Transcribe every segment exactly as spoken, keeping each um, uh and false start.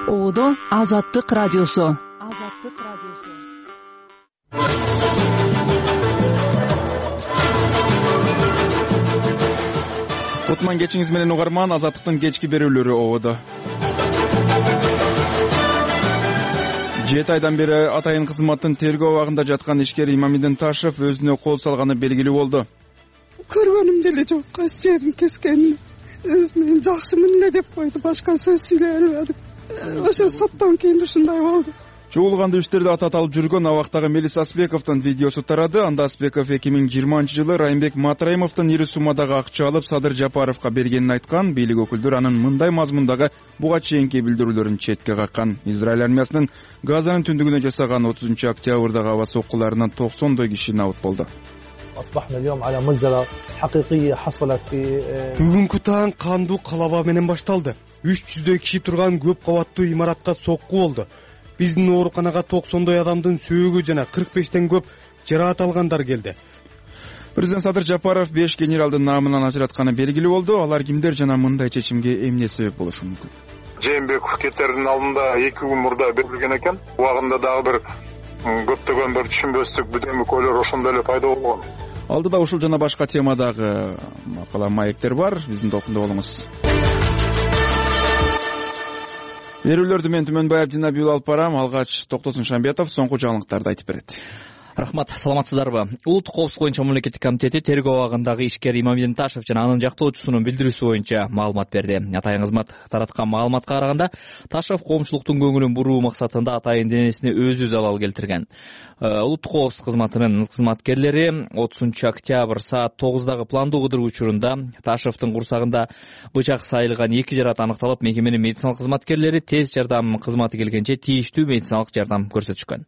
Оодо Азаттык радиосу. Азаттык радиосу. Кутман кечиңиз менен угарман, Азаттыктын кечки берүүлөрү Оодо. Жети айдан бери атайын кызматтын тергөө абагында жаткан ишкер Имамидин Ташев өзүнө кол салганы белгилүү болду. Көргөнүм деле жок, касиерин кескенин өз менен жакшымын эле деп койду, башка сөз сүйлөй албадым. Ошо соттон кийин ушундай болду. Чогулгандуу иштерди атат алып жүргөн абактагы Мелис Аспековдун видеосу тарады. Анда Аспеков эки миң жыйырманчы жылы Райымбек Матраимовдун ири суммадагы акча алып Садыр Жапаровго бергенин айткан. Бийлик өкүлдөрү анын мындай мазмундагы буга чейинки билдирүүлөрүн четке каккан. Израиль армиясынын Газанын түндүгүнө жасаган отузунчу октябрдагы аба соккуларынан токсондой киши набыт болду. Бүгүнкү таң кандуу калаба менен башталды. үч жүздөй киши турган көп кабаттуу имаратка сокку болду. Биздин ооруканага токсондой адамдын сөөгү жана кырк бештен көп жараат алгандар келди. Президент Садыр Жапаров беш генералдын наамынан ажыратканы белгилүү болду. Алар кимдер жана мындай чечимге эмне себеп болушу мүмкүн? Жээнбеков кетердин алдында эки күн мурда берилген экен. Убагында дагы бир көптөгөн бир түшүнбөстүк бүдөмүк ойлор ошондой эле пайда болгон. Алдыда ушул жана башка темадагы макала маектер бар. Биздин толкунда болуңуз. Берүүлөрдү мен Түмөнбаев жана Бибил алып барам. Алгач Токтосун Шамбетов соңку жаңылыктарды айтып берет. Рахмат, саламатсыздарбы? Улуттук коопсуздук боюнча мамлекеттик комитети тергөө абагындагы ишкер Имамидин Ташев жана анын жактоочусунун билдирүүсү боюнча маалымат берди. Атайын кызмат тараткан маалыматка караганда, Ташев коомчулуктун көңүлүн буруу максатында атайын денесине өзү залал келтирген. Улуттук коопсуздук кызматынын кызматкерлери отузунчу октябрь саат тогуздагы пландуу кыдыруу учурунда Ташевдин курсагында бычак сайылган эки жараат аныкталып, мекеменин медициналык кызматкерлери тез жардам кызматы келгенче тийиштүү медициналык жардам көрсөтүшкөн.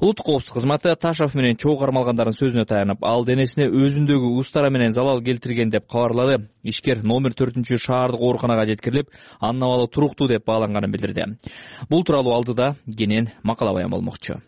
Улуттук коопсуздук кызматы Ташев менен чогуу кармалгандардын сөзүнө таянып, ал денесине өзүндөгү устара менен залал келтирген деп кабарлады. Ишкер номер төртүнчү шаардык ооруканага жеткирилип, анын абалы туруктуу деп бааланганын билдирди. Бул тууралуу алдыда кенен макала баян болмокчу.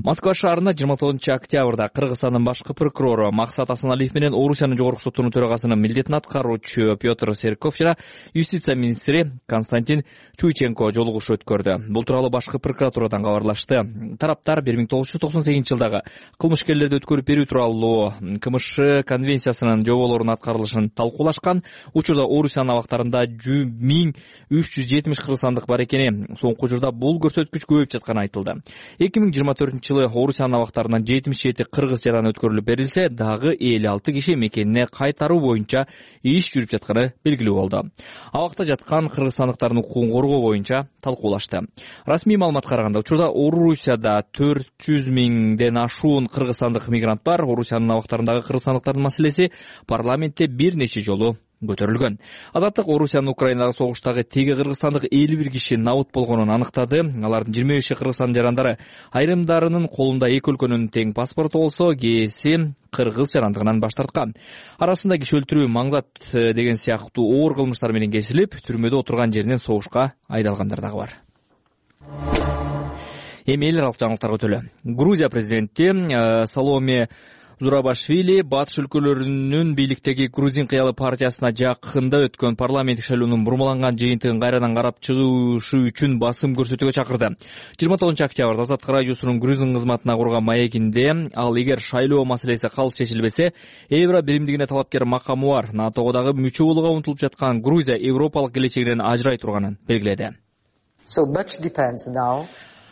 Москва шаарында жыйырма тогузунчу октябрда Кыргызстандын башкы прокурору Максат Асаналиев менен Орусиянын жогорку сотунун төрагасынын милдетин аткаруучу Петр Серков жана юстиция министри Константин Чуйченко жолугушуу өткөрдү. Бул тууралуу башкы прокуратурадан кабарлашты. Тараптар бир миң тогуз жүз токсон сегизинчи жылдагы кылмышкерлерди өткөрүп берүү тууралуу КМШ конвенциясынын жоболорунун аткарылышын талкуулашкан. Учурда Орусиянын абактарында миң үч жүз жетимиш кыргызстандык бар экени, соңку учурда бул көрсөткүч көбөйүп жатканы айтылды. эки миң жыйырма төртүнчү жылы Орусиянын абактарынан жетимиш жети кыргыз жараны өткөрүлүп берилсе, дагы элүү алты киши мекенине кайтаруу боюнча иш жүрүп жатканы белгилүү болду. Абакта жаткан кыргызстандыктардын укугун коргоо боюнча талкуулашты. Расмий маалыматка караганда, учурда Орусияда төрт жүз миңден ашуун кыргызстандык мигрант бар. Орусиянын абактарындагы кыргызстандыктардын маселеси парламентте бир нече жолу көтөрүлгөн. Азаттык Орусиянын Украинадагы согуштагы теги кыргызстандык элүү бир киши набыт болгонун аныктады. Алардын жыйырма беши Кыргызстан жарандары, айрымдарынын колунда эки өлкөнүн тең паспорту болсо, кээси кыргыз жарандыгынан баш тарткан. Арасында киши өлтүрүү, маңзат деген сыяктуу оор кылмыштар менен кесилип, түрмөдө отурган жеринен согушка айдалгандар дагы бар. Эми эл аралык жаңылыктарга өтөлү. Грузия президенти Саломе Зурабашвили батыш өлкөлөрүнүн бийликтеги Грузин кыялы партиясына жакында өткөн парламенттик шайлоонун бурмаланган жыйынтыгын кайрадан карап чыгышы үчүн басым көрсөтүүгө чакырды. жыйырма тогузунчу октябрда Азаттык радиосунун Грузин кызматына курган маегинде ал эгер шайлоо маселеси калыс чечилбесе, Евро биримдигине талапкер макамы бар, натого дагы мүчө болууга умтулуп жаткан Грузия Европалык келечегинен ажырай турганын белгиледи.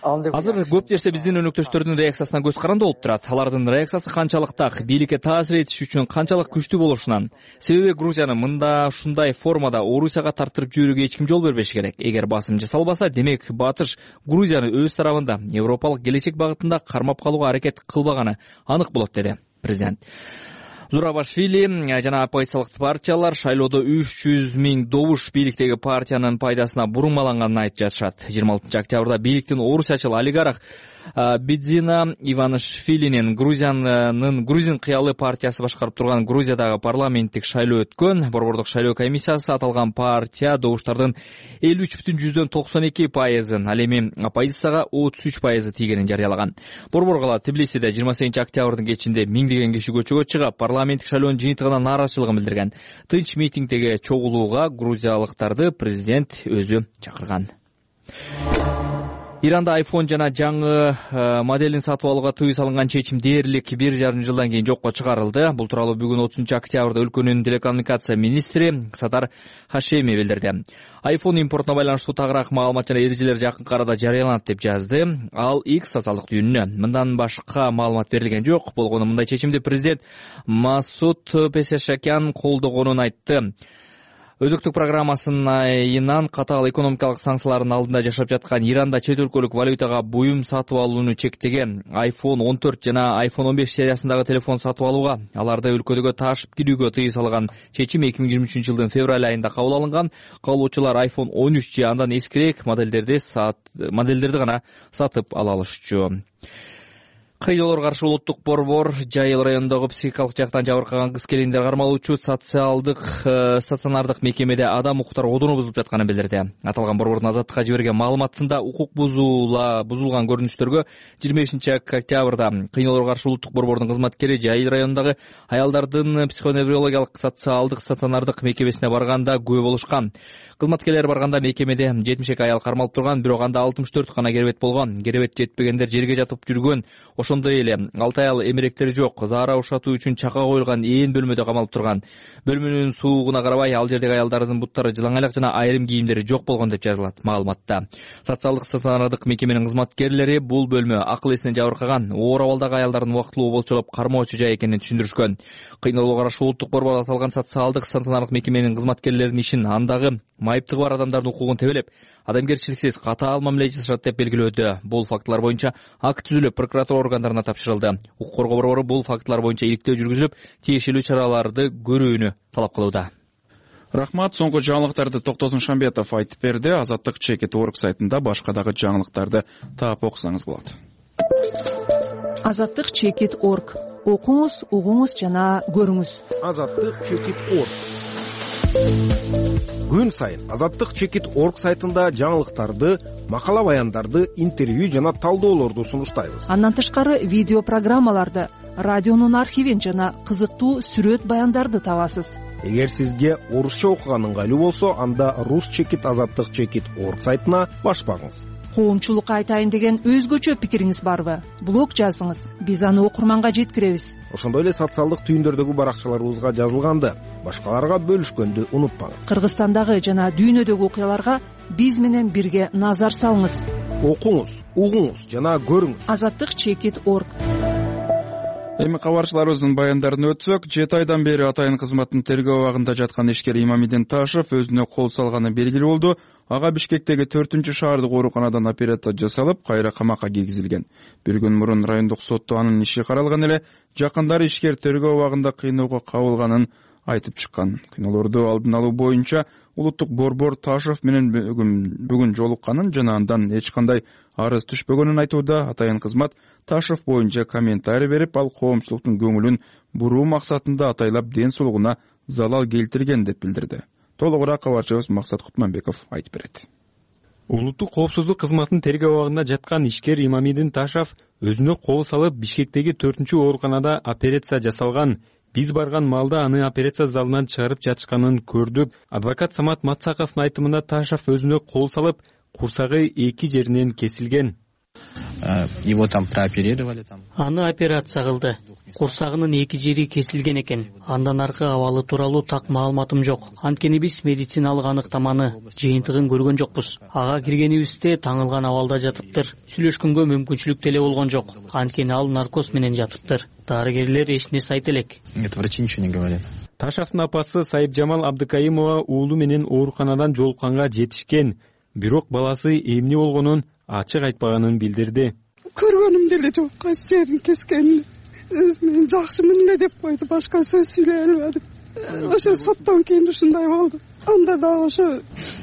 Азыр көп нерсе биздин өнөктөштөрдүн реакциясына көз каранды болуп турат. Алардын реакциясы канчалык так, бийликке таасир этиш үчүн канчалык күчтүү болушунан. Себеби Грузияны мында ушундай формада Орусияга тартырып жиберүүгө эч ким жол бербеш керек. Эгер басым жасалбаса, демек батыш Грузияны өз тарабында европалык келечек багытында кармап калууга аракет кылбаганы анык болот, деди президент. Зурабашвили жана оппозициялык партиялар шайлоодо үч жүз миң добуш бийликтеги партиянын пайдасына бурмаланганын айтып жатышат. жыйырма алтынчы октябрда бийликтин орусчачыл олигарх Бидзина Иванишвилинин Грузиянын Грузин кыялы партиясы башкарып турган Грузиядагы парламенттик шайлоо өткөн. Борбордук шайлоо комиссиясы аталган партия добуштардын элүү үч бүтүн жүздөн токсон эки пайызын, ал эми оппозицияга отуз үч пайызы тийгенин жарыялаган. Борбор кала Тбилисиде жыйырма сегизинчи октябрдын кечинде миңдеген киши көчөгө чыгып, парламенттик шайлоонун жыйынтыгына нааразычылыгын билдирген. Тынч митингдеги чогулууга грузиялыктарды президент өзү чакырган. Иранда айфон жана жаңы моделин сатып алууга тыюу салынган чечим дээрлик бир жарым жылдан кийин жокко чыгарылды. Бул тууралуу бүгүн отузунчу октябрда өлкөнүн телекоммуникация министри Сатар Хашеми билдирди. айфон импортуна байланыштуу тагыраак маалымат жана эрежелер жакынкы арада жарыяланат деп жазды ал X социалдык түйүнүнө. Мындан башка маалымат берилген жок. Болгону мындай чечимди президент Масуд Пезешкян колдогонун айтты. Өзөктүк программасынын айынан катаал экономикалык санкциялардын алдында жашап жаткан Иранда чет өлкөлүк валютага буюм сатып алууну чектеген. айфон он төрт жана айфон он беш сериясындагы телефон сатып алууга, аларды өлкөдөгө таашып кирүүгө тыюу салган чечим эки миң жыйырма үчүнчү жылдын февраль айында кабыл алынган. Каалоочулар айфон он үч же андан эскирээк модельдерди модельдерди гана сатып ала алышчу. Кыйноолорго каршы улуттук борбор Жайыл районундагы психикалык жактан жабыркаган кыз келиндер кармалуучу социалдык стационардык мекемеде адам укуктары одону бузулуп жатканын билдирди. Аталган борбордун Азаттыкка жиберген маалыматында укук бузуула бузулган көрүнүштөргө жыйырма бешинчи октябрда Кыйноолорго каршы улуттук борбордун кызматкери Жайыл районундагы аялдардын психоневрологиялык социалдык стационардык мекемесине барганда күбө болушкан. Кызматкерлер барганда мекемеде жетимиш эки аял кармалып турган, бирок анда алтымыш төрт гана керебет болгон. Керебет жетпегендер жерге жатып жүргөн. Ошондой эле алты аял эмеректери жок, заара ушатуу үчүн чака коюлган ээн бөлмөдө камалып турган. Бөлмөнүн суугуна карабай ал жердеги аялдардын буттары жылаңайлак жана айрым кийимдери жок болгон деп жазылат маалыматта. Социалдык стационардык мекеменин кызматкерлери бул бөлмө акыл эсинен жабыркаган, оор абалдагы аялдардын убактылуу болчолоп кармоочу жай экенин түшүндүрүшкөн. Кыйноолорго каршы улуттук борбор аталган социалдык стационардык мекеменин кызматкерлеринин ишин андагы майыптыгы бар адамдардын укугун тебелеп, адамгерчиликсиз катаал мамиле жасашат деп белгилөөдө. Бул фактылар боюнча акт түзүлүп, прокуратура органдарына тапшырылды. Укук коргоо борбору бул фактылар боюнча иликтөө жүргүзүлүп, тиешелүү чараларды көрүүнү талап кылууда. Рахмат. Соңку жаңылыктарды Токтосун Шамбетов айтып берди. Азаттык чекит орг сайтында башка дагы жаңылыктарды таап окусаңыз болот. Азаттык чекит орг. Окуңуз, угуңуз жана көрүңүз. Азаттык чекит орг. Күн сайын Азаттык чекит орг сайтында жаңылыктарды, макала баяндарды, интервью жана талдоолорду сунуштайбыз. Андан тышкары видео программаларды, радионун архивин жана кызыктуу сүрөт баяндарды табасыз. Эгер сизге орусча окуган ыңгайлуу болсо, анда рус чекит азаттык чекит орг сайтына баш багыңыз. Коомчулукка айтайын деген өзгөчө пикириңиз барбы? Блог жазыңыз, биз аны окурманга жеткиребиз. Ошондой эле социалдык түйүндөрдөгү баракчаларыбызга жазылганды башкаларга бөлүшкөндү унутпаңыз. Кыргызстандагы жана дүйнөдөгү окуяларга биз менен бирге назар салыңыз. Окуңуз, угуңуз жана көрүңүз. Азаттык чекит орг. Эми кабарчыларыбыздын баяндарын өтсөк, жети айдан бери атайын кызматтын тергөө абагында жаткан ишкер Имамидин Ташев өзүнө кол салганы белгилүү болду. Ага Бишкектеги төртүнчү шаардык ооруканадан операция жасалып, кайра камакка киргизилген. Бир күн мурун райондук сотто анын иши каралган эле, жакындары ишкер тергөө абагында кыйноого кабылганын айтып чыккан. Кыйноолорду алдын алуу боюнча улуттук борбор Ташев менен бүгүн бүгүн жолукканын жана андан эч кандай арыз түшпөгөнүн айтууда. Атайын кызмат Ташев боюнча комментарий берип, ал коомчулуктун көңүлүн буруу максатында атайлап ден соолугуна залал келтирген деп билдирди. Толугураак кабарчыбыз Максат Кутманбеков айтып берет. Улуттук коопсуздук кызматынын тергөө абагында жаткан ишкер Имамидин Ташев өзүнө кол салып, Бишкектеги төртүнчү ооруканада операция жасалган. Биз барган маалда аны операция залынан чыгарып жатышканын көрдүк. Адвокат Самат Матсаковдун айтымында Ташев өзүнө кол салып, курсагы эки жеринен кесилген. Его там прооперировали там. Аны операция кылды. Курсагынын эки жери кесилген экен. Андан аркы абалы тууралуу так маалыматым жок. Анткени биз медициналык аныктаманы, жыйынтыгын көргөн жокпуз. Ага киргенибизде таңылган абалда жатыптыр. Сүйлөшкөнгө мүмкүнчүлүк деле болгон жок. Анткени ал наркоз менен жатыптыр. Дарыгерлер эч нерсе айта элек. Нет, врачи ничего не говорят. Ташевдун апасы Сайыпжамал Абдыкайымова уулу менен ооруканадан жолукканга жетишкен. Бирок баласы эмне болгонун ачык айтпаганын билдирди. Көргөнүм деле жок, кайсы жерин кескенин. Мен жакшымын эле деп койду, башка сөз сүйлөй албадым. Ошо соттон кийин ушундай болду. Анда да ошо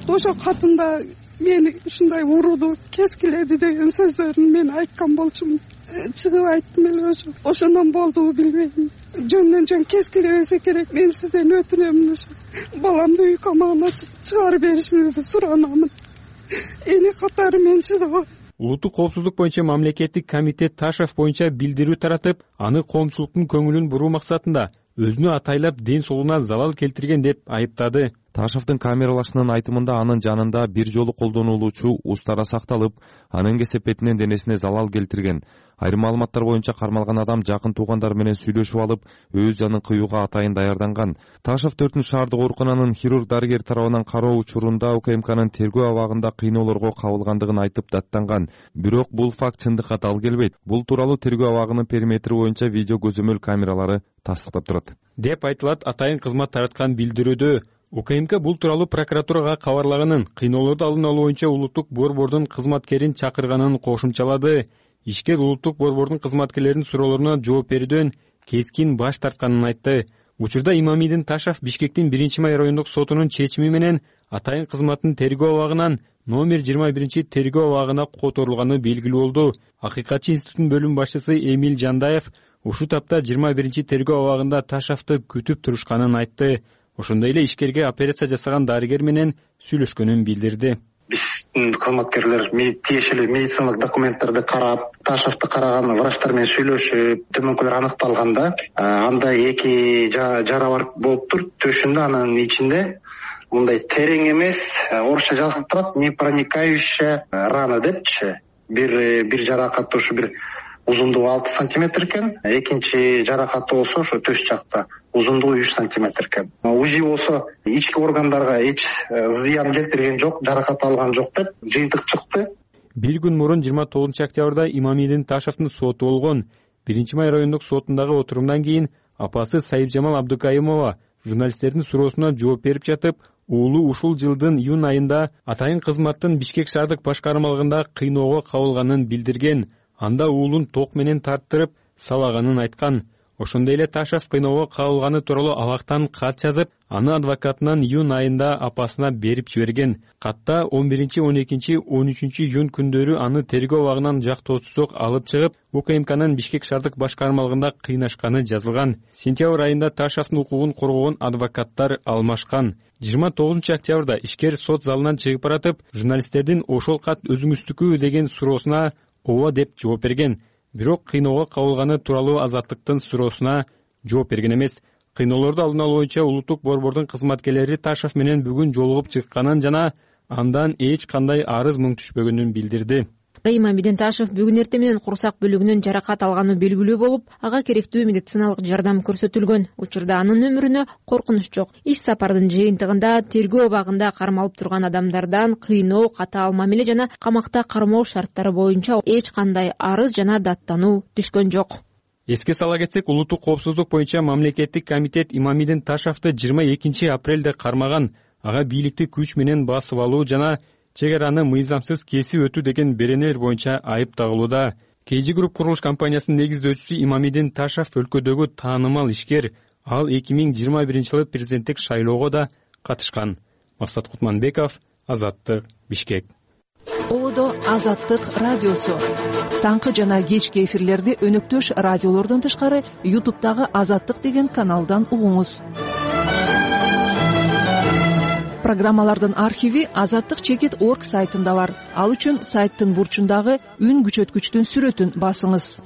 ошо катында мени ушундай урууду, кескиледи деген сөздөрүн мен айткан болчумун. Чыгып айттым эле ошо. Ошондон болдубу билбейм. Жөндөн жөн кескилебесе керек. Мен сизден өтүнөмүн ошо. Баламды үй камагына чыгарып беришиңизди суранамын. Эне катары мен чыдабайм. Улуттук коопсуздук боюнча мамлекеттик комитет Ташев боюнча билдирүү таратып, аны коомчулуктун көңүлүн буруу максатында өзүнө атайлап ден соолугуна залал келтирген деп айыптады. Ташевдин камералашынын айтымында анын жанында бир жолу колдонулуучу устара сакталып, анын кесепетинен денесине залал келтирген. Айрым маалыматтар боюнча кармалган адам жакын туугандар менен сүйлөшүп алып, өз жанын кыюуга атайын даярданган. Ташев төртүнчү шаардык оорукананын хирург дарыгер тарабынан кароо учурунда УКМКнын тергөө абагында кыйноолорго кабылгандыгын айтып даттанган. Бирок бул факт чындыкка дал келбейт. Бул тууралуу тергөө абагынын периметри боюнча видео көзөмөл камералары тастыктап турат, деп айтылат атайын кызмат тараткан билдирүүдө. УКМК бул тууралуу прокуратурага кабарлаганын, кыйноолорду алдын алуу боюнча улуттук борбордун кызматкерин чакырганын кошумчалады. Ишкер улуттук борбордун кызматкерлеринин суроолоруна жооп берүүдөн кескин баш тартканын айтты. Учурда Имамидин Ташев Бишкектин биринчи май райондук сотунун чечими менен атайын кызматтын тергөө абагынан номер жыйырма биринчи тергөө абагына которулганы белгилүү болду. Акыйкатчы институтунун бөлүм башчысы Эмиль Жандаев ушул тапта жыйырма биринчи тергөө абагында Ташевти күтүп турушканын айтты. Ошондой эле ишкерге операция жасаган дарыгер менен сүйлөшкөнүн билдирди. Биздин кызматкерлер тиешелүү медициналык документтерди карап, Ташевти караган врачтар менен сүйлөшүп, төмөнкүлөр аныкталганда, анда эки жара бар болуптур. Төшүндө, анын ичинде мындай терең эмес, орусча жазылып турат, непроникающая рана депчи. Бир бир жаракат ушу бир узундугу алты сантиметр экен, экинчи жаракаты болсо ошо төш жакта узундугу үч сантиметр экен. УЗИ болсо ички органдарга эч зыян келтирген жок, жаракат алган жок деп жыйынтык чыкты. Бир күн мурун жыйырма тогузунчу октябрда Имамидин Ташевдин соту болгон. биринчи май райондук сотундагы отурумдан кийин апасы Сайыпжамал Абдыкайымова журналисттердин суроосуна жооп берип жатып, уулу ушул жылдын июнь айында атайын кызматтын Бишкек шаардык башкармалыгында кыйноого кабылганын билдирген. Анда уулун ток менен тарттырып сабаганын айткан. Ошондой эле Ташев кыйноого кабылганы тууралуу абактан кат жазып, аны адвокатынан июнь айында апасына берип жиберген. Катта он биринчи, он экинчи, он үчүнчү июнь күндөрү аны тергөө абагынан жактоосузок алып чыгып, УКМКнын Бишкек шаардык башкармалыгында кыйнашканы жазылган. Сентябрь айында Ташевдин укугун коргогон адвокаттар алмашкан. жыйырма тогузунчу октябрда ишкер сот залынан чыгып баратып, журналисттердин ошол кат өзүңүздүкү деген суроосуна ооба деп жооп берген. Бирок кыйноого кабылганы тууралуу Азаттыктын суроосуна жооп берген эмес. Кыйноолорду алдын алуу боюнча улуттук борбордун кызматкерлери Ташев менен бүгүн жолугуп чыкканын жана андан эч кандай арыз мұң түшпөгөнүн билдирди. Имамидин Ташев бүгүн эртең менен курсак бөлүгүнөн жаракат алганы белгилүү болуп, ага керектүү медициналык жардам көрсөтүлгөн. Учурда анын өмүрүнө коркунуч жок. Иш сапардын жыйынтыгында тергөө абагында кармалып турган адамдардан кыйноо, катаал мамиле жана камакта кармоо шарттары боюнча эч кандай арыз жана даттануу түшкөн жок. Эске сала кетсек, улуттук коопсуздук боюнча мамлекеттик комитет Имамидин Ташевти жыйырма экинчи апрелде кармаган. Ага бийликти күч менен басып алуу жана чек араны мыйзамсыз кесип өтүү деген беренелер боюнча айып тагылууда. кей жи Group курулуш компаниясынын негиздөөчүсү Имамидин Ташев өлкөдөгү таанымал ишкер. Ал эки миң жыйырма биринчи жылы президенттик шайлоого да катышкан. Максат Кутманбеков, Азаттык, Бишкек. Одо Азаттык радиосу. Таңкы жана кечки эфирлерди өнөктөш радиолордон тышкары ютубтагы Азаттык деген каналдан угуңуз. Программалардын архиви азаттык чекит точка орг сайтында бар. Ал үчүн сайттын бурчундагы үн күчөткүчтүн сүрөтүн басыңыз.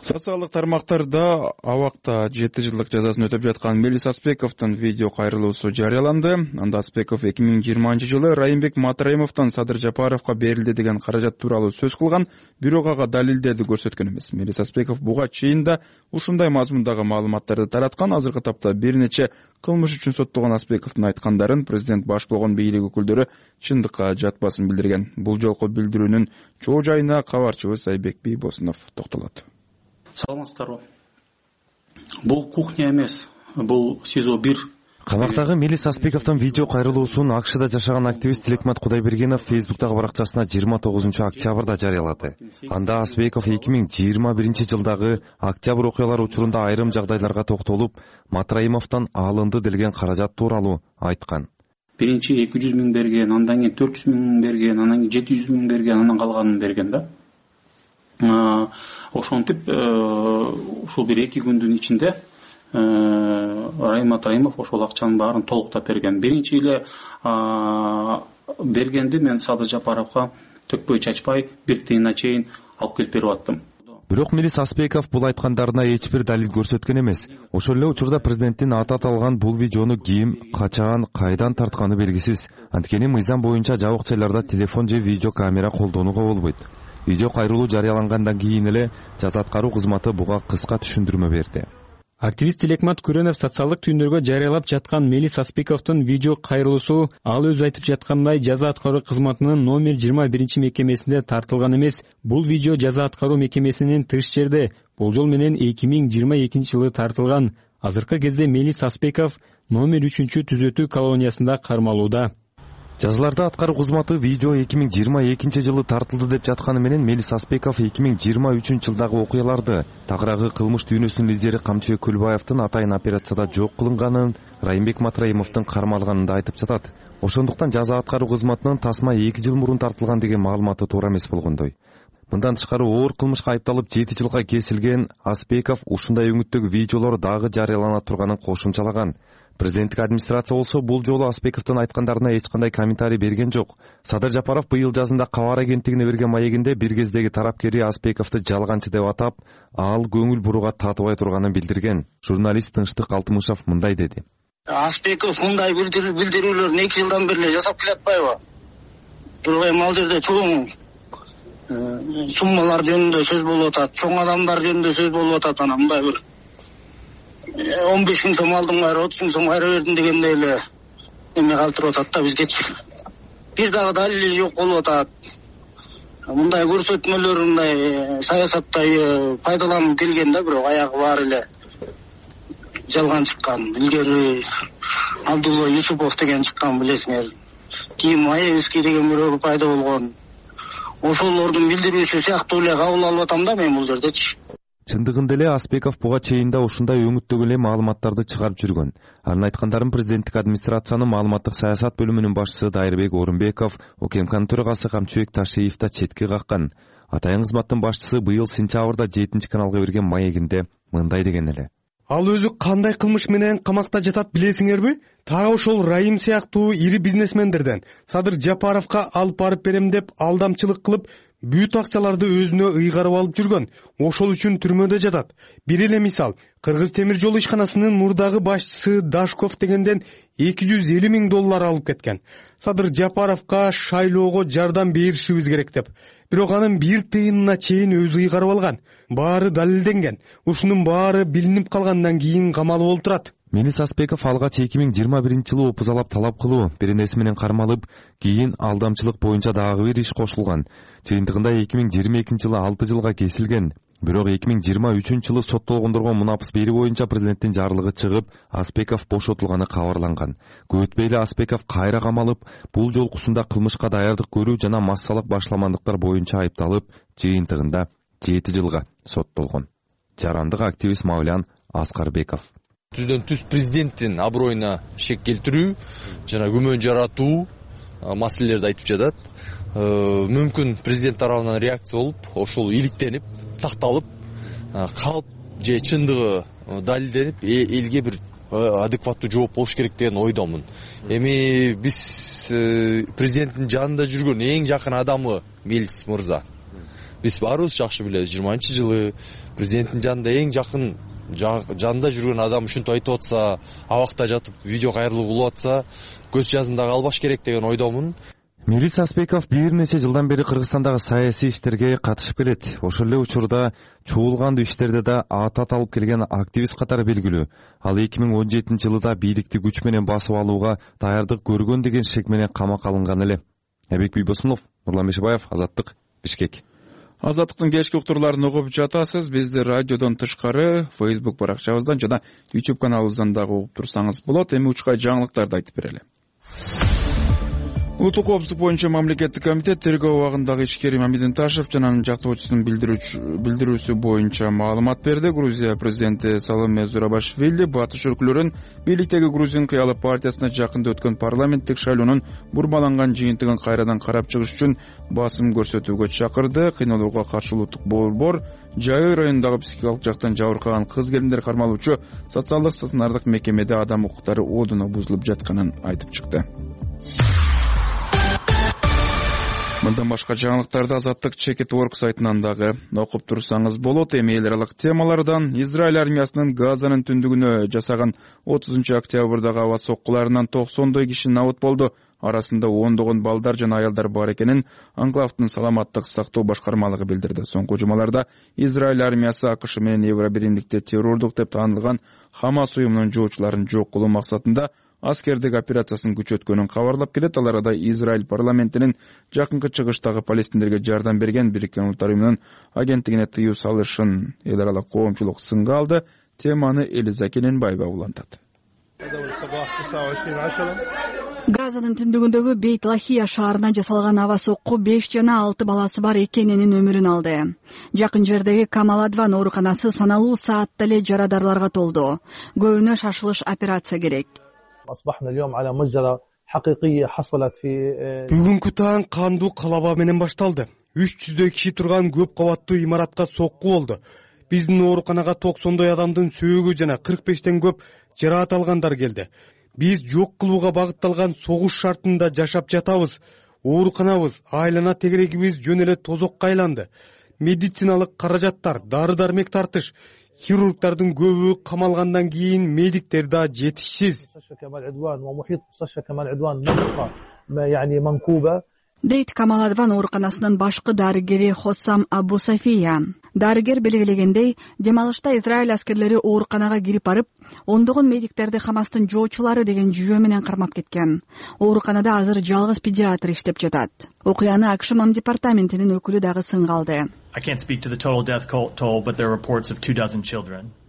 Социалдык тармактарда абакта жети жылдык жазасын өтөп жаткан Мелис Аспековдун видео кайрылуусу жарыяланды. Анда Аспеков эки миң жыйырманчы жылы Райымбек Матраимовдон Садыр Жапаровго берилди деген каражат тууралуу сөз кылган, бирок ага далилдерди көрсөткөн эмес. Мелис Аспеков буга чейин да ушундай мазмундагы маалыматтарды тараткан. Азыркы тапта бир нече кылмыш үчүн соттолгон Аспековдун айткандарын президент баш болгон бийлик өкүлдөрү чындыкка жатпасын билдирген. Бул жолку билдирүүнүн чоо жайына кабарчыбыз Айбек Бийбосунов токтолот. Саламатсыздарбы. Бул кухня эмес, бул СИЗО бир. Камактагы Мелис Аспековдун видео кайрылуусун АКШда жашаган активист Тилекмат Кудайбергенов Фейсбуктагы баракчасына жыйырма тогузунчу октябрда жарыялады. Анда Аспеков эки миң жыйырма биринчи жылдагы октябрь окуялары учурунда айрым жагдайларга токтолуп, Матраимовдон алынды делген каражат тууралуу айткан. Биринчи эки жүз миң берген, андан кийин төрт жүз миң берген, андан кийин жети жүз миң берген, андан калганын берген да. Ошентип ушул бир эки күндүн ичинде Райым Матраимов ошол акчанын баарын толуктап берген. Биринчи эле бергенди мен Садыр Жапаровго төкпөй чачпай бир тыйына чейин алып келип берип аттым. Бирок Мелис Аспеков бул айткандарына эч бир далил көрсөткөн эмес. Ошол эле учурда президенттин аты аталган бул видеону ким, качан, кайдан тартканы белгисиз. Анткени мыйзам боюнча жабык жайларда телефон же видео камера колдонууга болбойт. Видео кайрылуу жарыялангандан кийин эле жаза аткаруу кызматы буга кыска түшүндүрмө берди. Активист Тилекмат Күрөнов социалдык түйүндөргө жарыялап жаткан Мелис Аспековдун видео кайрылуусу ал өзү айтып жаткандай жаза аткаруу кызматынын номер жыйырма биринчи мекемесинде тартылган эмес. Бул видео жаза аткаруу мекемесинин тыш жерде болжол менен эки миң жыйырма экинчи жылы тартылган. Азыркы кезде Мелис Аспеков номер үчүнчү түзөтүү колониясында кармалууда. Жазаларды аткаруу кызматы видео эки миң жыйырма экинчи жылы тартылды деп жатканы менен Мелис Аспеков эки миң жыйырма үчүнчү жылдагы окуяларды, тагыраагы кылмыш дүйнөсүнүн лидери Камчыбек Көлбаевдин атайын операцияда жок кылынганын, Райымбек Матраимовдун кармалганын да айтып жатат. Ошондуктан жаза аткаруу кызматынын тасма эки жыл мурун тартылган деген маалыматы туура эмес болгондой. Мындан тышкары оор кылмышка айыпталып жети жылга кесилген Аспеков ушундай өңүттөгү видеолор дагы жарыялана турганын кошумчалаган. Президенттик администрация болсо бул жолу Аспековдун айткандарына эч кандай комментарий берген жок. Садыр Жапаров быйыл жазында Кабар агенттигине берген маегинде бир кездеги тарапкери Аспековду жалганчы деп атап, ал көңүл бурууга татыбай турганын билдирген. Журналист Тынчтык Алтымышев мындай деди. Аспеков мындай билдирүүлөрүн эки жылдан бери жасап келатпайбы? Бирок эми ал жерде чоң суммалар жөнүндө сөз болуп атат, чоң адамдар жөнүндө сөз болуп атат, анан мындай бир он беш миң сом алдым кайра, отуз миң сом кайра бердим дегендей эле эме калтырып атат да бизгечи. Бир дагы далили жок болуп атат. Мындай көрсөтмөлөр, мындай саясатта пайдаланып келген да, бирок аягы баары эле жалган чыккан. Илгери Абдулла Юсупов деген чыккан, билесиңер. Кийин Маевский деген бирөө пайда болгон. Ошолордун билдирүүсү сыяктуу эле кабыл алып атам да мен бул жердечи. Чындыгында эле Аспеков буга чейин да ушундай өңүттөгү эле маалыматтарды чыгарып жүргөн. Анын айткандарын президенттик администрациянын маалыматтык саясат бөлүмүнүн башчысы Дайырбек Орунбеков, УКМКнын төрагасы Камчыбек Ташиев да четке каккан. Атайын кызматтын башчысы быйыл сентябрда жетинчи каналга берген маегинде мындай деген эле. Ал өзү кандай кылмыш менен камакта жатат билесиңерби? Тагы ошол Райым сыяктуу ири бизнесмендерден Садыр Жапаровго алып барып берем деп алдамчылык кылып, бүт акчаларды өзүнө ыйгарып алып жүргөн. Ошол үчүн түрмөдө жатат. Бир эле мисал, Кыргыз темир жол ишканасынын мурдагы башчысы Дашков дегенден эки жүз элүү миң доллар алып кеткен. Садыр Жапаровго шайлоого жардам беришибиз керек деп. Бирок анын бир тыйынына чейин өзү ыйгарып алган. Баары далилденген. Ушунун баары билинип калгандан кийин камалып олтурат. Мелис Аспеков алгач эки миң жыйырма биринчи жылы опузалап талап кылуу беренеси менен кармалып, кийин алдамчылык боюнча дагы бир иш кошулган. Жыйынтыгында эки миң жыйырма экинчи жылы алты жылга кесилген. Бирок эки миң жыйырма үчүнчү жылы соттолгондорго мунапыс бери боюнча президенттин жарлыгы чыгып, Аспеков бошотулганы кабарланган. Көп өтпөй эле Аспеков кайра камалып, бул жолкусунда кылмышка даярдык көрүү жана массалык башламандыктар боюнча айыпталып, жыйынтыгында жети жылга соттолгон. Жарандык активист Мавлян Аскарбеков. Түздөн түз президенттин аброюна шек келтирүү жана күмөн жаратуу маселелерди айтып жатат. Мүмкүн президент тарабынан реакция болуп, ошол иликтенип, такталып, калп же чындыгы далилденип, элге бир адекваттуу жооп болуш керек деген ойдомун. Эми биз президенттин жанында жүргөн эң жакын адамы Мелис мырза. Биз баарыбыз жакшы билебиз, жыйырманчы жылы президенттин жанында эң жакын жанында жүргөн адам ушинтип айтып атса, абакта жатып видео кайрылуу болуп атса, көз жазындагы албаш керек деген ойдомун. Мелис Аспеков бир нече жылдан бери Кыргызстандагы саясий иштерге катышып келет. Ошол эле учурда чуулгандуу иштерде да аты аталып келген активист катары белгилүү. Ал эки миң он жетинчи жылда бийликти күч менен басып алууга даярдык көргөн деген шек менен камакка алынган эле. Эбек Бийбосунов, Нурлан Мешебаев, Азаттык, Бишкек. Азаттыктын кечки уктурларын угуп жатасыз. Бизди радиодон тышкары Facebook баракчабыздан жана YouTube каналыбыздан дагы угуп турсаңыз болот. Эми учкай жаңылыктарды айтып берели. Улуттук коопсуздук боюнча мамлекеттик комитет тергөө абагындагы ишкер Имамидин Ташев жана анын жактоочусунун билдирүүсү боюнча маалымат берди. Грузия президенти Саломе Зурабашвили батыш өлкөлөрүн бийликтеги Грузин кыялы партиясына жакында өткөн парламенттик шайлоонун бурмаланган жыйынтыгын кайрадан карап чыгыш үчүн басым көрсөтүүгө чакырды. Кыйноолууга каршы улуттук борбор Жайы районундагы психикалык жактан жабыркаган кыз келиндер кармалуучу социалдык стационардык мекемеде адам укуктары оодуна бузулуп жатканын айтып чыкты. Мындан башка жаңылыктарды Азаттык чекит орг сайтынан дагы окуп турсаңыз болот. Эми эл аралык темалардан Израиль армиясынын Газанын түндүгүнө жасаган отузунчу октябрдагы аба соккуларынан токсондой киши набыт болду. Арасында ондогон балдар жана аялдар бар экенин Анклавдын саламаттык сактоо башкармалыгы билдирди. Соңку жумаларда Израиль армиясы АКШ менен Евро биримдикте террордук деп таанылган Хамас уюмунун жоочуларын жок кылуу максатында аскердик операциясын күчөткөнүн кабарлап келет. Ал арада Израиль парламентинин жакынкы чыгыштагы палестиндерге жардам берген Бириккен Улуттар уюмунун агенттигине тыюу салышын эл аралык коомчулук сынга алды. Теманы Элиза Кененбаева улантат. Газанын түндүгүндөгү Бейт Лахия шаарына жасалган аба сокку беш жана алты баласы бар экенинин өмүрүн алды. Жакын жердеги Камал Адван ооруканасы саналуу саатта эле жарадарларга толду. Көбүнө шашылыш операция керек. Бүгүнкү таң кандуу калаба менен башталды. үч жүздөй киши турган көп кабаттуу имаратка сокку болду. Биздин ооруканага токсондой адамдын сөөгү жана кырк бештен көп жараат алгандар келди. Биз жок кылууга багытталган согуш шартында жашап жатабыз. Ооруканабыз, айлана тегерегибиз жөн эле тозокко айланды. Медициналык каражаттар, дары-дармек тартыш, хирургдардын көбү камалгандан кийин медиктер да жетишсиз. Дейт Камал Адван ооруканасынын башкы дарыгери Хоссам Абу Сафия. Дарыгер белгилегендей, демалышта Израиль аскерлери ооруканага кирип барып, ондогон медиктерди Хамастын жоочулары деген жүйө менен кармап кеткен. Ооруканада азыр жалгыз педиатр иштеп жатат. Окуяны АКШ Мам департаментинин өкүлү дагы сынга алды.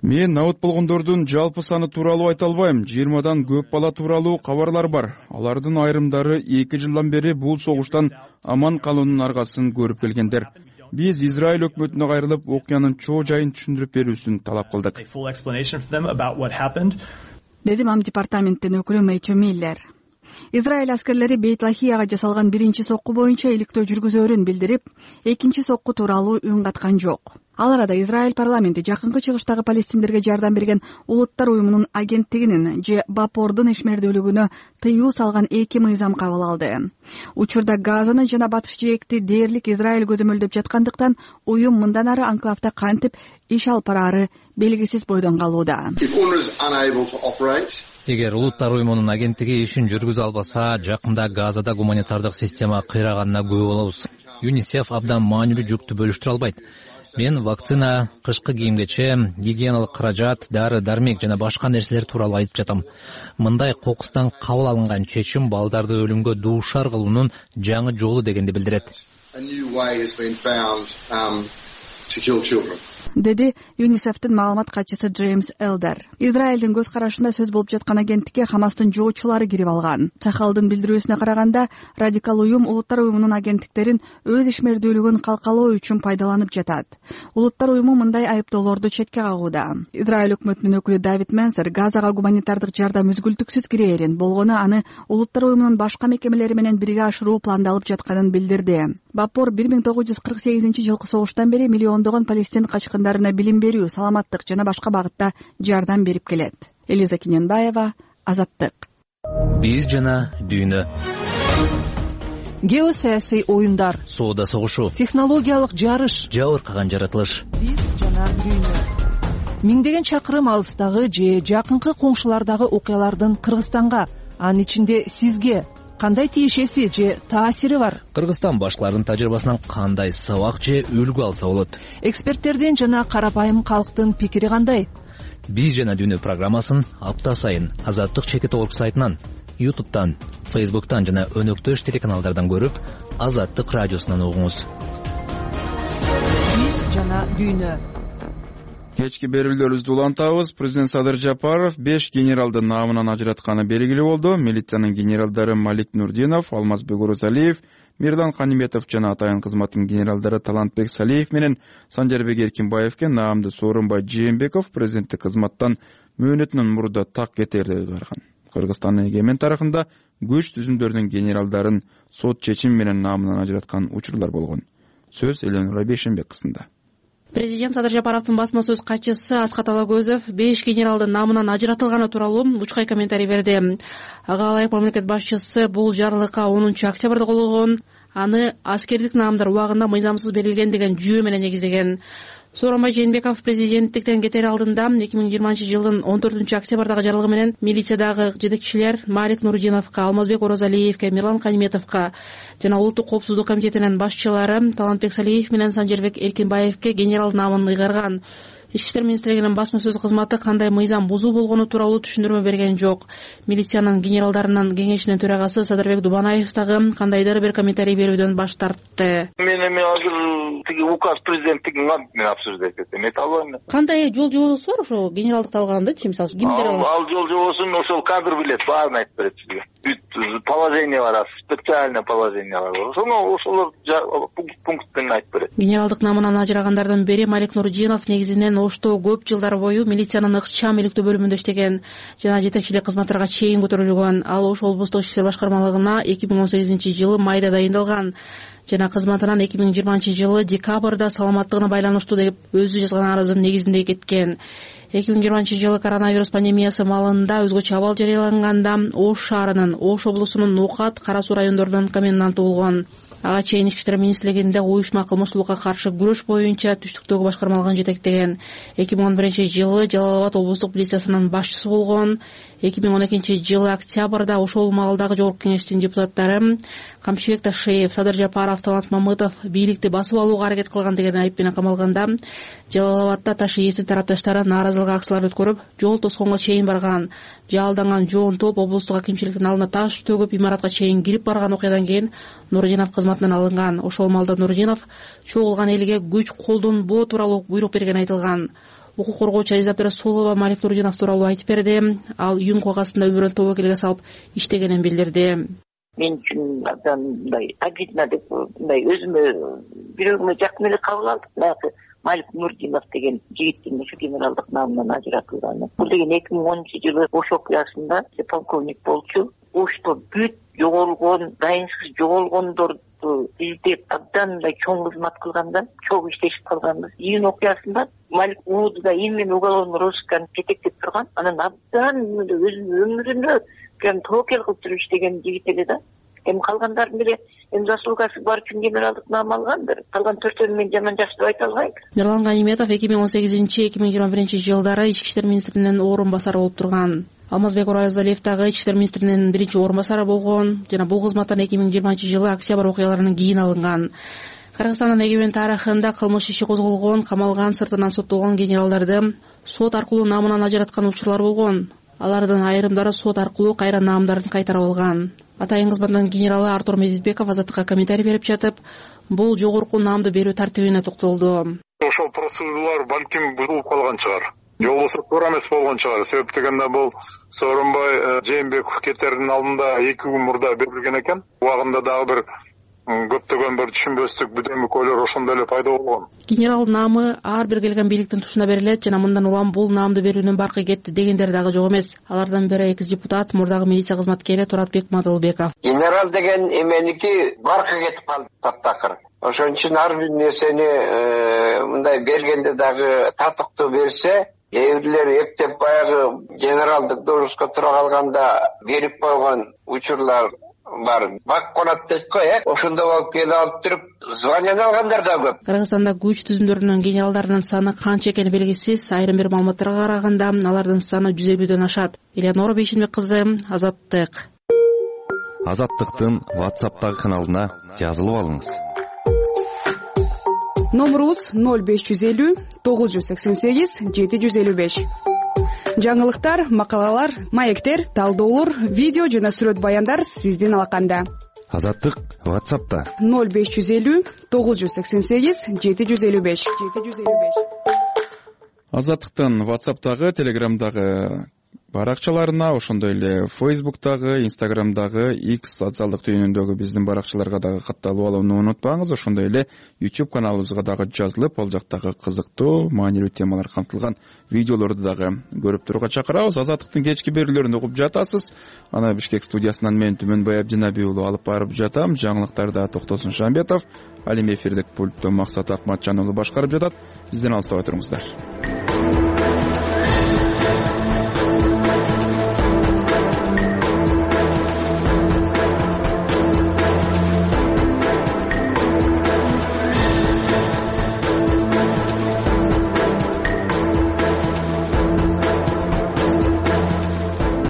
Мен набыт болгондордун жалпы саны тууралуу айта албайм. жыйырмадан көп бала тууралуу кабарлар бар. Алардын айрымдары эки жылдан бери бул согуштан аман калуунун аргасын көрүп келгендер. Биз Израиль өкмөтүнө кайрылып, окуянын чоо жайын түшүндүрүп берүүсүн талап кылдык. Деди Мам департаменттин өкүлү Мэйтью Миллер. Израиль аскерлери Бейт Лахияга жасалган биринчи сокку боюнча иликтөө жүргүзөөрүн билдирип, экинчи сокку тууралуу үн каткан жок. Ал арада Израиль парламенти жакынкы чыгыштагы палестиндерге жардам берген Улуттар уюмунун агенттигинин же Бапордун ишмердүүлүгүнө тыюу салган эки мыйзам кабыл алды. Учурда Газаны жана батыш жээкти дээрлик Израиль көзөмөлдөп жаткандыктан уюм мындан ары анклавда кантип иш алып бараары белгисиз бойдон калууда. Эгер Улуттар уюмунун агенттиги ишин жүргүзө албаса, жакында Газада гуманитардык система кыйраганына күбө болобуз. ЮНИСЕФ абдан маанилүү жүктү бөлүштүрө албайт. Мен вакцина, кышкы кийимгече, гигиеналык каражат, дары-дармек жана башка нерселер тууралуу айтып жатам. Мындай кокустан кабыл алынган чечим балдарды өлүмгө дуушар кылуунун жаңы жолу дегенди билдирет. Деди ЮНИСЕФтин маалымат катчысы Джеймс Элдер. Израилдин көз карашында сөз болуп жаткан агенттикке Хамастын жоочулары кирип алган. Цахалдын билдирүүсүнө караганда, радикал уюм Улуттар уюмунун агенттиктерин өз ишмердүүлүгүн калкалоо үчүн пайдаланып жатат. Улуттар уюму мындай айыптоолорду четке кагууда. Израиль өкмөтүнүн өкүлү Давид Менсер Газага гуманитардык жардам үзгүлтүксүз кирээрин, болгону аны Улуттар уюмунун башка мекемелери менен бирге ашыруу пландалып жатканын билдирди. Бапор бир миң тогуз жүз кырк сегизинчи жылкы согуштан бери миллиондогон палестин качкындарына билим берүү, саламаттык жана башка багытта жардам берип келет. Элиза Кененбаева, Азаттык. Биз жана дүйнө. Геосаясий оюндар, соода согушу, технологиялык жарыш, жабыркаган жаратылыш. Биз жана дүйнө. Миңдеген чакырым алыстагы же жакынкы коңшулардагы окуялардын Кыргызстанга, анын ичинде сизге кандай тиешеси же таасири бар? Кыргызстан башкалардын тажрыйбасынан кандай сабак же үлгү алса болот? Эксперттердин жана карапайым калктын пикири кандай? Биз жана дүйнө программасын апта сайын Азаттык чекит орг сайтынан, ютубтан, фейсбуктан жана өнөктөш телеканалдардан көрүп, Азаттык радиосунан угуңуз. Биз жана дүйнө. Кечки берүүлөрүбүздү улантабыз. Президент Садыр Жапаров беш генералды наамынан ажыратканы белгилүү болду. Милициянын генералдары Малик Нурдинов, Алмазбек Орозалиев, Мирдан Каниметов жана атайын кызматтын генералдары Талантбек Салиев менен Санжарбек Эркинбаевке наамды Сооронбай Жээнбеков президенттик кызматтан мөөнөтүнөн мурда так кетерди ыйгарган. Кыргызстандын эгемен тарыхында көч түзүмдөрүнүн генералдарын сот чечими менен наамынан ажыраткан учурлар болгон. Сөз Эленора Бейшенбековсунда. Президент Садыр Жапаровдун басма сөз катчысы Аскат Алагөзов беш генералдын наамынан ажыратылганы тууралуу учкай комментарий берди. Ага ылайык мамлекет башчысы бул жарлыкка онунчу октябрда кол койгон. аны аскердик наамдар убагында мыйзамсыз берилген деген жүйө менен негиздеген. Сооронбай Жээнбеков президенттиктен кетер алдында эки миң жыйырманчы жылдын он төртүнчү октябрдагы жаргы менен милициядагы жетекчилер Малик Нурудиновго, Алмазбек Оразалиевге, Мирлан Каниметовго жана Улуттук коопсуздук комитетинин башчылары Талантбек Салиев менен Санжербек Эркинбаевге генерал наамын ыйгарган. Ички иштер министрлигинин басма сөз кызматы кандай мыйзам бузуу болгону тууралуу түшүндүрмө берген жок. Милициянын генералдарынын кеңешинин төрагасы Садырбек Дубанаев дагы кандайдыр бир комментарий берүүдөн баш тартты. Мен эми азыр тиги указ президенттигин мен обсуждать этем, эте албайм. Кандай жол жобосу бар ошо генералдыкты алгандычы, мисалы кимдер алат? Ал жол жобосун ошол кадр билет, баарын айтып берет сизге. Бүт положение бар, специальное положение бар. Ошону ошолор пункт менен айтып берет. Генералдык наамынан ажырагандардын бири Малик Нурудинов негизинен Ошто көп жылдар бою милициянын ыкчам иликтөө бөлүмүндө иштеген жана жетекчилик кызматтарга чейин көтөрүлгөн. Ал Ош облустук ички иштер башкармалыгына эки миң он сегизинчи жылы майда дайындалган жана кызматынан эки миң жыйырманчы жылы декабрда саламаттыгына байланыштуу деп өзү жазган арызынын негизинде кеткен. эки миң жыйырманчы жылы коронавирус пандемиясы маалында өзгөчө абал жарыяланганда Ош шаарынын, Ош облусунун Нукат, Кара Суу райондорунун коменданты болгон. Ага чейин ички иштер министрлигинде уюшма кылмыштуулукка каршы күрөш боюнча түштүктөгү башкармалыгын жетектеген. эки миң он биринчи жылы Жалал Абад облустук милициясынын башчысы болгон. эки миң он экинчи жылы октябрда ошол маалдагы жогорку кеңештин депутаттары Камчыбек Ташеев, Садыр Жапаров, Талант Мамытов бийликти басып алууга аракет кылган деген айып менен камалганда, Жалал Абадда Ташеевдин тарапташтары нааразылык акциялар өткөрүп, жол тосконго чейин барган. Жалданган жоон топ облустук акимчиликтин алдына таш төгүп имаратка чейин кирип барган окуядан кийин Нурудинов кызматынан алынган. Ошол маалда Нурудинов чогулган элге күч колдонбоо тууралуу буйрук берген айтылган. Укук коргоочу Азиза Расулова Малик Нурудинов тууралуу айтып берди. Ал ЮНК ага өмүрүн тобокелге салып иштегенин билдирди. Мен үчүн абдан мындай обидно деп мындай өзүмө бирөөгүмө жакын эле кабыл алдым. Баягы Малик Нурудинов деген жигиттин ушу генералдык наамынан ажыратылганы. Бул деген эки миң онунчу жылы Ош окуясында полковник болчу. Ошто бүт жоголгон, дайынсыз жоголгондорду издеп абдан мындай чоң кызмат кылганда, чоң иштешип калганбыз. Июнь окуясында Малик Уудуда именно уголовный розысканы жетектеп турган, анан абдан өзүнүн өмүрүнө прям тобокел кылып туруп иштеген жигит эле да. Эми калгандардын деле эми заслугасы бар үчүн генералдык наам алгандыр. Калган төртөөнү мен жаман жакшы деп айта албайм. Мирлан Каниметов эки миң он сегизинчи эки миң жыйырма биринчи жылдары ички иштер министринин орун басары болуп турган. Алмазбек Оразалиев дагы ички иштер министринин биринчи орун басары болгон жана бул кызматтан эки миң жыйырманчы жылы октябрь окуяларынан кийин алынган. Кыргызстандын эгемен тарыхында кылмыш иши козголгон, камалган, сыртынан соттолгон генералдарды сот аркылуу наамынан ажыраткан учурлар болгон. Алардын айрымдары сот аркылуу кайра наамдарын кайтарып алган. Атайын кызматтын генералы Артур Медетбеков Азаттыкка комментарий берип жатып, бул жогорку наамды берүү тартибине токтолду. Ошол процедуралар балким бузулуп калган чыгар. Же болбосо туура эмес болгон чыгар. Себеп дегенде бул Сооронбай Жээнбеков кетердин алдында эки күн мурда берилген экен. Убагында дагы бир көптөгөн бир түшүнбөстүк, бүдөмүк ойлор ошондой эле пайда болгон. Генерал наамы ар бир келген бийликтин тушуна берилет жана мындан улам бул наамды берүүнүн баркы кетти дегендер дагы жок эмес. Алардын бири экс депутат, мурдагы милиция кызматкери Туратбек Мадылбеков. Генерал деген эменики баркы кетип калды таптакыр. Ошон үчүн ар бир нерсени мындай бергенде дагы татыктуу берсе, кээ бирлер эптеп баягы генералдык должностко тура калганда берип койгон учурлар бар. Бак конат дейт го, э? Ошондо болуп келип алып туруп званияны алгандар да көп. Кыргызстанда күч түзүмдөрүнүн генералдарынын саны канча экени белгисиз. Айрым бир маалыматтарга караганда алардын саны жүз элүүдөн ашат. Элеонора Бейшенбек кызы, Азаттык. Азаттыктын WhatsApp'тагы каналына жазылып алыңыз. Номерубуз ноль беш жүз элүү тогуз жүз сексен сегиз жети жүз элүү беш. Жаңылыктар, макалалар, маектер, талдоолор, видео жана сүрөт баяндар сиздин алаканда. Азаттык WhatsApp'та ноль беш жүз элүү тогуз жүз сексен сегиз жети жүз элүү беш. Азаттыктын WhatsApp'тагы, Telegram'дагы баракчаларына, ошондой эле Facebook'тагы, Instagram'дагы, X социалдык түйүнүндөгү биздин баракчаларга дагы катталып алууну унутпаңыз. Ошондой эле YouTube каналыбызга дагы жазылып, ал жактагы кызыктуу, маанилүү темалар камтылган видеолорду дагы көрүп турууга чакырабыз. Азаттыктын кечки берүүлөрүн угуп жатасыз. Ана Бишкек студиясынан мен Түмөнбай Абдинабий уулу алып барып жатам. Жаңылыктарда Токтосун Шамбетов, ал эми эфирдик пультту Максат Акматжан уулу башкарып жатат. Бизден алыстабай туруңуздар.